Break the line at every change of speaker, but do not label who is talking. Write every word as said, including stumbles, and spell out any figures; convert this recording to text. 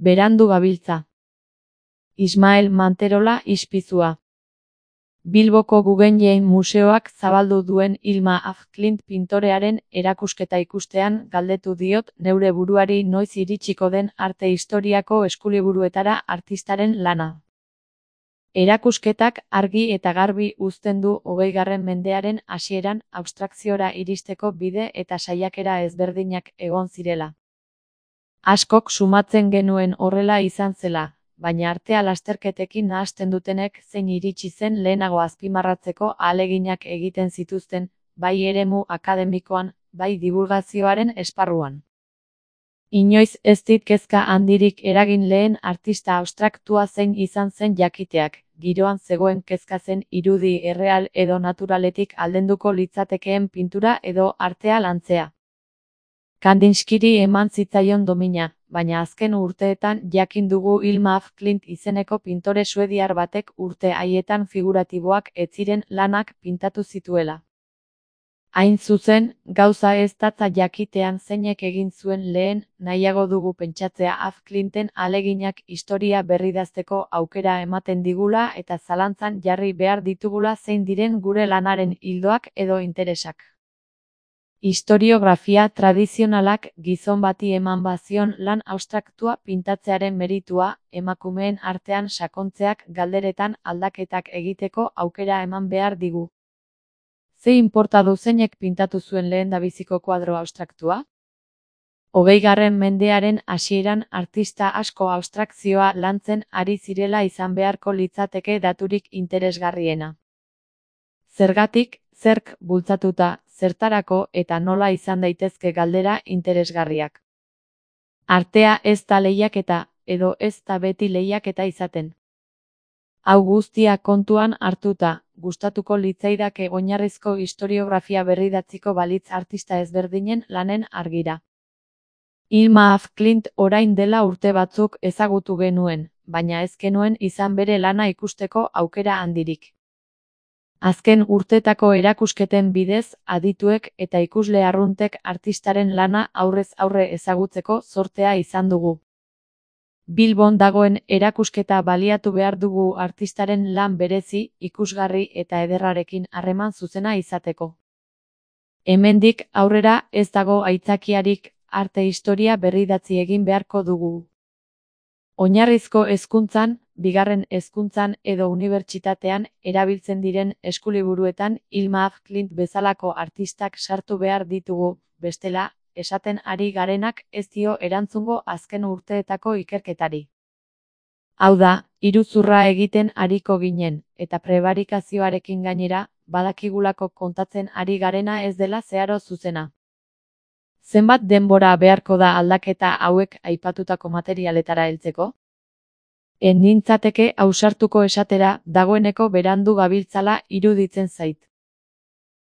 Berandu gabiltza. Ismael Manterola ispizua. Bilboko Guggenheim Museoak zabaldu duen Hilma af Klint pintorearen erakusketa ikustean galdetu diot neure buruari noiz iritsiko den arte historiako eskuliburuetara artistaren lana. Erakusketak argi eta garbi uzten du hogeigarren mendearen hasieran abstrakziora iristeko bide eta saiakera ezberdinak egon zirela. Askok sumatzen genuen horrela izan zela, baina artea lasterketekin nahasten dutenek zein iritsi zen lehenago azpimarratzeko ahaleginak egiten zituzten, bai eremu akademikoan, bai divulgazioaren esparruan. Inoiz ez dit kezka handirik eragin lehen artista abstraktua zein izan zen jakiteak, giroan zegoen kezka zen irudi erreal edo naturaletik aldenduko litzatekeen pintura edo artea lantzea. Kandinskiri eman zitzaion domina, baina azken urteetan jakin dugu Hilma af Klint izeneko pintore suediar batek urte haietan figuratiboak ez ziren lanak pintatu zituela. Hain zuzen, gauza ez datza jakitean zeinek egin zuen lehen, nahiago dugu pentsatzea af Klinten ahaleginak historia berridazteko aukera ematen digula eta zalantzan jarri behar ditugula zein diren gure lanaren ildoak edo interesak. Historiografia tradizionalak gizon bati eman bazion lan abstraktua pintatzearen meritua, emakumeen artean sakontzeak galderetan aldaketak egiteko aukera eman behar digu. Ze inporta du zeinek pintatu zuen lehendabiziko kuadro abstraktua? Hogeigarren mendearen hasieran artista asko abstrakzioa lantzen ari zirela izan beharko litzateke daturik interesgarriena. Zergatik, zerk bultzatuta, zertarako eta nola izan daitezke galdera interesgarriak. Artea ez da lehiaketa, edo ez da beti lehiaketa izaten. Hau guztia kontuan hartuta, gustatuko litzaidake oinarrizko historiografia berridatziko balitz artista ezberdinen lanen argira. Hilma af Klint orain dela urte batzuk ezagutu genuen, baina ez genuen izan bere lana ikusteko aukera handirik. Azken urtetako erakusketen bidez, adituek eta ikusle arruntek artistaren lana aurrez aurre ezagutzeko zortea izan dugu. Bilbon dagoen erakusketa baliatu behar dugu artistaren lan berezi, ikusgarri eta ederrarekin harreman zuzena izateko. Hemendik aurrera ez dago aitzakiarik, arte historia berridatzi egin beharko dugu. Oinarrizko hezkuntzan, bigarren hezkuntzan edo unibertsitatean erabiltzen diren eskuliburuetan Hilma af Klint bezalako artistak sartu behar ditugu, bestela, esaten ari garenak ez dio erantzungo azken urteetako ikerketari. Hau da, iruzurra egiten ariko ginen, eta prebarikazioarekin gainera, badakigulako kontatzen ari garena ez dela zeharo zuzena. Zenbat denbora beharko da aldaketa hauek aipatutako materialetara heltzeko? Ez nintzateke ausartuko esatera dagoeneko berandu gabiltzala iruditzen zait.